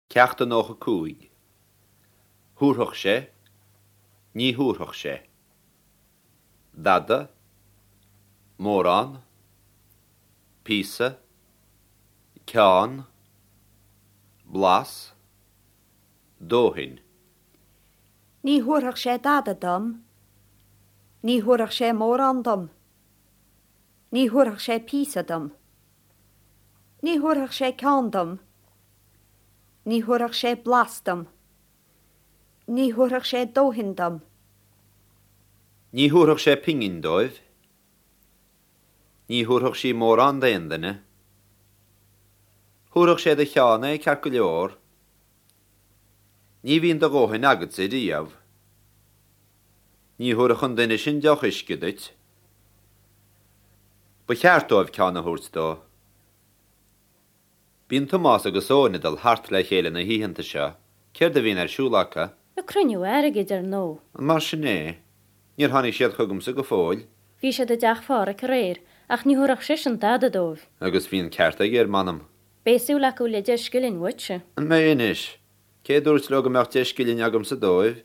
Ceacht 95. Thabharfadh sé, ní thabharfadh sé. Dada, mórán, píosa, ceann, blas, dóthain. Ní thabharfadh sé dada dom. Ní thabharfadh sé mórán dom. Ní thabharfadh sé píosa dom. Ní thabharfadh sé ceann dom. Ní thabharfadh sé blas dom. Ní thabharfadh sé dóthain dom. Ní thabharfadh sé pingin dóibh. Ní thabharfadh sí mórán d'aon duine. Thabharfadh sé do cheann é ceart go leor. Ní bhíonn do dhóthain agatsa riamh. Ní thabharfadh an duine sin deoch uisce duit. Ba cheart dóibh ceann a thabhairt dó. Bíonn Tomás agus Eoin ag dul thart le chéile na hoícheanta seo. Céard a bhíonn ar siúl acu? Ag cruinniú airgid, ar ndóigh. An mar sin é? Níor tháinig siad chugamsa go fóill. Bhí siad i dteach Phádhraic aréir, ach ní thabharfadh seisean dada dóibh. Agus bhí an ceart aige, ar m'anam. Beidh súil acu le deich scilling uaitse. An mbeidh anois? Cé a dúirt leo go mbeadh deich scilling agamsa dóibh?